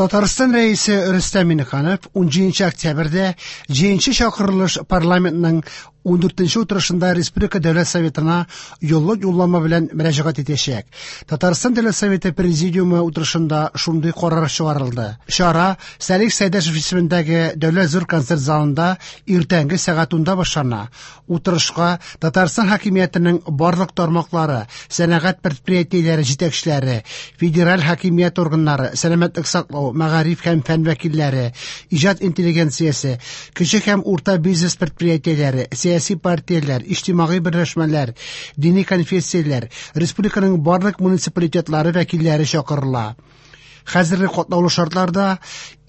Татарстан Рәисе Рөстәм Миңнеханов 17 октябрьдә 7 чакырылыш парламентның 14 утырышында Республика Дәүләт Советына юллык юллама белән мөрәҗәгать итәчәк. Татарстан Дәүләт Советы Президиумы утырышында шундый карар чыгарылды. Чара Салих Сәйдәшев исемендәге Дәүләт зур концерт залында иртәнге сәгать 10-да башлана. Утырышка Татарстан хакимиятенең барлык тармаклары, сәнәгать предприятиеләре җитәкчеләре, федераль хакимият органнары, сәламәтлек саклау, мәгариф һәм фән вәкилләре, иҗат интеллигенциясе, кече һәм урта бизнес предприятиеләре, сәяси партияләр, иҗтимагый берләшмәләр, дини конфессияләр, республиканың барлык муниципалитетлары вәкилләре чакырыла. Хәзерге катлаулы шартларда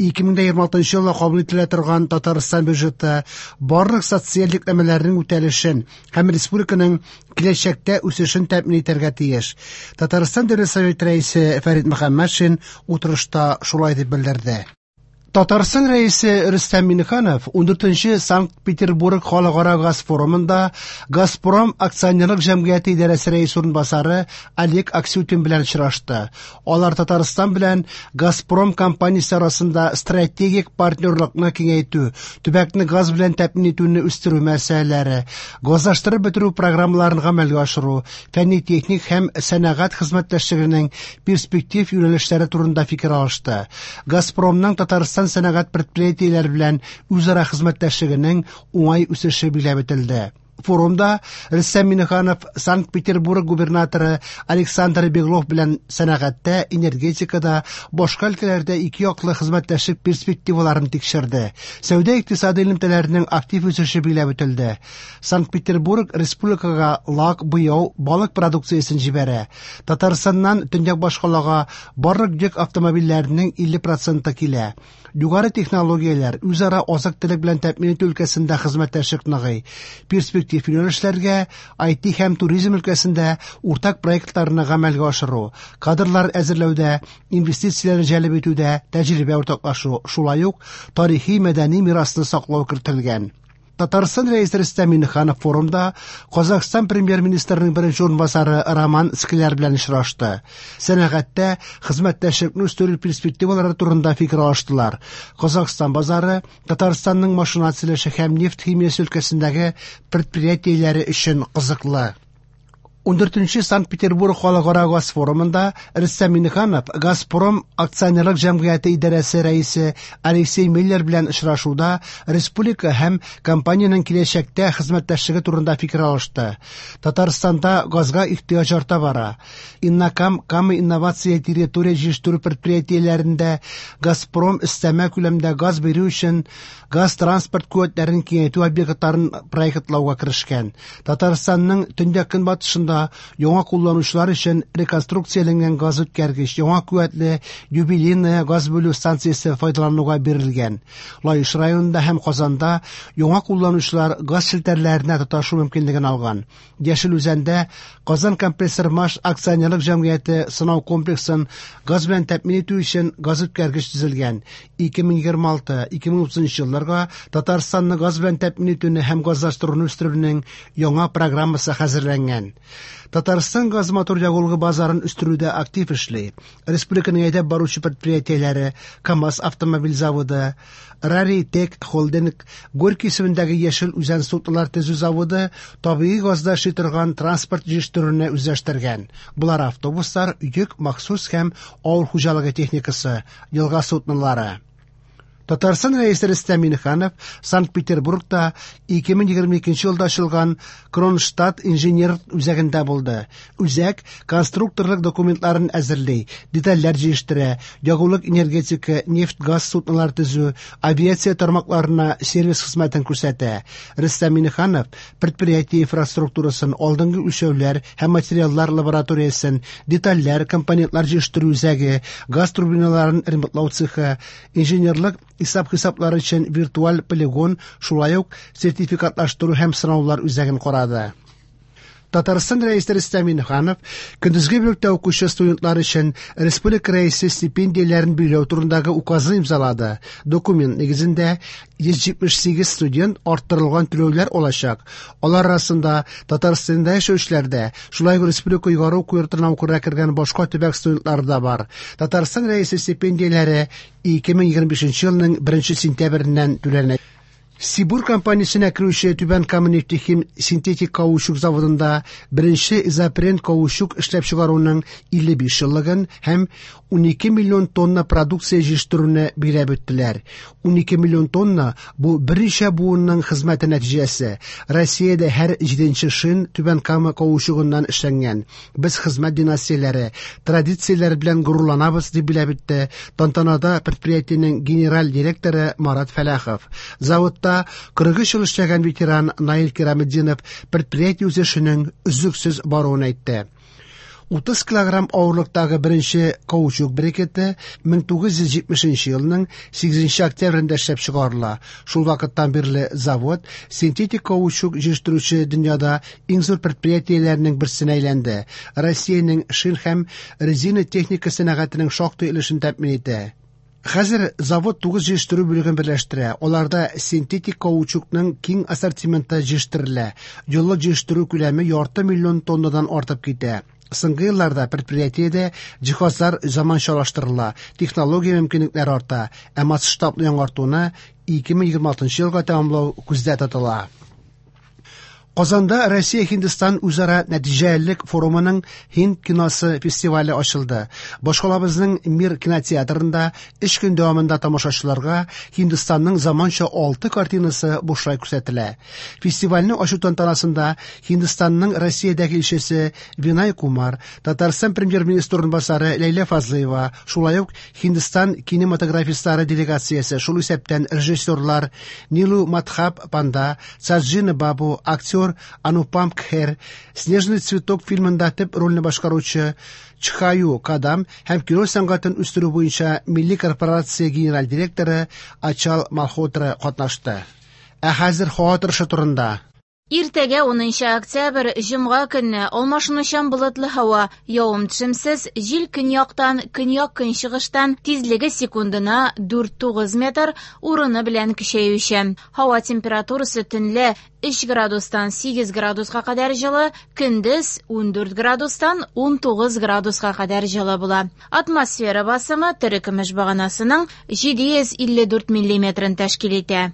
2026 елда кабул ителә торган Татарстан бюджеты барлык социаль йөкләмәләрнең үтәлешен һәм республиканың киләчәктә үсешен тәэмин итәргә тиеш. Татарстан Дәүләт Советы рәисе Фәрит Мөхәммәтшин утырышта шулай дип белдерде. Татарстан Рәисе Рөстәм Миңнеханов 14 Санкт-Петербург халыкара газ форумында Газпром акционерлык җәмгыяте идарәсе рәисе урынбасары Олег Аксютин белән очрашты. Алар Татарстан белән Газпром компаниясе арасында стратегик партнерлыкны киңәйтү, төбәкне газ белән тәэмин итүне үстерү мәсьәләләре, газлаштырып бетерү программаларын гамәлгә ашыру, фәнни-техник һәм сәнәгать хезмәттәшлегенең перспектив юнәлешләре турында фикер алышты. Газпромның Татарстан сәнәгать предприятиеләре белән үзара хезмәттәшлегенең уңай үсеше билгеләп үтелде. Форумда Рөстәм Миңнеханов Санкт-Петербург губернаторы Александр Беглов белән сәнәгатьтә, энергетикада, башка өлкәләрдә ике яклы хезмәттәшлек перспективаларын тикшерде. Сәүдә-икътисади элемтәләрнең актив үсеше билгеләп үтелде. Санкт-Петербург республикага лак, буяу, балык продукциясен җибәрә. Татарстаннан төньяк башкалага барлык йөк автомобильләренең 50 проценты килә. Югары технологияләр, үзара азык-төлек белән тәэмин итү өлкәсендә хезмәттәшлек ныгый. Перспектив юнәлешләргә IT һәм туризм өлкәсендә уртак проектларны гамәлгә ашыру, кадрлар әзерләүдә, инвестицияләрне җәлеп итүдә тәҗрибә уртаклашу, шулай ук тарихи-мәдәни мирасны саклау кертелгән. Татарстан Рәисе Рөстәм Миңнеханов форумда Казахстан премьер-министрының беренче урынбасары Роман Скляр белән очрашты. Сәнәгатьтә хезмәттәшлекне үстерү перспективалары турында фикер алыштылар. Казахстан базары Татарстанның машина төзелеше һәм нефть химиясе өлкәсендәге предприятиеләре өчен кызыклы. 14 Санкт-Петербург халыкара газ форумында Рөстәм Миңнеханов Газпром акционерлык җәмгыяте идарәсе рәисе Алексей Миллер белән очрашуда республика һәм компаниянең киләчәктә хезмәттәшлеге турында фикер алышты. Татарстанда газга ихтыяҗ арта бара. Иннокам Кама инновация территория җитештерү предприятиеләрендә Газпром өстәмә күләмдә газ бирү өчен газ транспорт куәтләрен киңәйтү объектларын проектлауга керешкән. Татарстанның төньяк-көнбатышында яңа кулланучылар өчен реконструкцияләнгән газ үткәргеч, яңа куәтле Юбилейная газ бүлү станциясе файдалануга бирелгән. Лаеш районында һәм Казанда яңа кулланучылар газ челтәрләренә тоташу мөмкинлеген алган. Яшел Үзәндә Казан компрессор-маш акционерлык җәмгыяте сынау комплексын газ белән тәэмин итү өчен газ үткәргеч төзелгән. 2026-2030 елларга Татарстанны газ белән тәэмин итүне һәм газлаштыруны үстерүнең яңа программасы хәзерләнгән. Татарстан газ мотор ягулыгы базарын үстерүдә актив эшли. Республиканың әйдәп баручы предприятиеләре КАМАЗ автомобиль заводы, Раритек холдинг, Горький исемендәге Яшел Үзән суднолар төзү заводы табигый газда эшли торган транспорт җитештерүне үзләштергән. Болар автобуслар, йөк, махсус һәм авыл хуҗалыгы техникасы, елга суднолары. Татарстан Рәисе Рөстәм Миңнеханов Санкт-Петербургта 2022 елда ачылган Кронштадт инженер үзәгендә булды. Үзәк конструкторлык документларын әзерли, детальләр җыештыра, ягулык энергетика, нефть-газ суднолар төзү, авиация тармакларына сервис хезмәтен күрсәтә. Рөстәм Миңнеханов предприятие инфраструктурасын, алдынгы үлчәүләр һәм материаллар лабораториясен, детальләр, компонентлар җыештыру үзәге, газ турбиналарын ремонтлау цехы, инженерлык исәп-хисаплары өчен виртуаль полигон, шулай ук сертификатлаштыру һәм сынаулар үзәген карады. Татарстан Рәисе Рөстәм Миңнеханов көндезге бүлектә укучы студентлар өчен республика Рәисе стипендияләрен билгеләү турындагы указны имзалады. Документ нигезендә 178 студент арттырылган түләүләр алачак. Алар арасында Татарстанда яшәүчеләр дә, шулай ук республика югары уку йортына укырга кергән башка төбәк студентлары да бар. Татарстан Рәисе стипендияләре 2025 елның 1 сентябреннән түләнә. Сибур компаниясенә керүче Түбән Кама нефтехим синтетик каучук заводында беренче изопрен каучук эшләп чыгаруның 55 еллыгын һәм 12 миллион тонна продукция җитештерүне билгеләп үттеләр. 12 миллион тонна бу берничә буынның хезмәте нәтиҗәсе. Россиядә һәр җиденче шин Түбән Кама каучугыннан эшләнгән. Без хезмәт династияләре, традицияләр белән горурланабыз, дип билгеләп үтте тантанада предприятиенең генераль директоры Марат Фәлахов. Заводта 43 ел эшләгән ветеран Наил Кираметдинов предприятие үсешенең өзлексез баруын әйтте. 30 килограмм авырлыктагы беренче каучук брикеты 1970 елның 8 октябрендә эшләп чыгарыла. Шул вакыттан бирле завод синтетик каучук җитештерүче дөньяда иң зур предприятиеләрнең берсенә әйләнде. Россиянең шин һәм резина техника сәнәгатенең шактый өлешен тәэмин итә. Хәзер завод 9 җитештерү бүлеген берләштерә. Аларда синтетик каучукның киң ассортименты җитештерелә. Еллык җитештерү күләме ярты миллион тоннадан артып китә. Соңгы елларда предприятиедә җиһазлар заманчалаштырыла, технология мөмкинлекләре арта, ә масштаблы яңартуны 2026 елга тәмамлау күздә тотыла. Казанда Россия-Һиндстан үзара нәтиҗәлелек форумының Һинд киносы фестивале ачылды. Башкалабызның Мир кинотеатрында 3 көн дәвамында тамашачыларга Һиндстанның заманча 6 картинасы бушлай күрсәтелә. Фестивальне ачу тантанасында Һиндстанның Россиядәге илчесе Винай Кумар, Татарстан премьер-министры урынбасары Ләйлә Фазлыева, шулай ук Һиндстан кинематографистлары делегациясе, шул исәптән режиссерлар Нилу Мадхаб Панда, Саджина Бабу, актер Анупам Кхер, Снежный цветок фильмында төп рольне башкаручы Чхаю Кадам һәм кино сәнгатен үстерү буенча милли корпорация генераль директоры Ачал Малхотра катнашты. Ә хәзер һава торышы турында. Иртәгә 10 октябрь, җомга көнне алмашынучан болытлы һава, явым-төшемсез, җил көньяктан, көньяк-көнчыгыштан, тизлеге секундына 4-9 метр, урыны белән көчәючән. Һава температурасы төнлә 3 градустан 8 градуска кадәр җылы, көндез 14 градустан 19 градуска кадәр җылы була. Атмосфера басымы терекөмеш баганасының 754 миллиметрын тәшкил итә.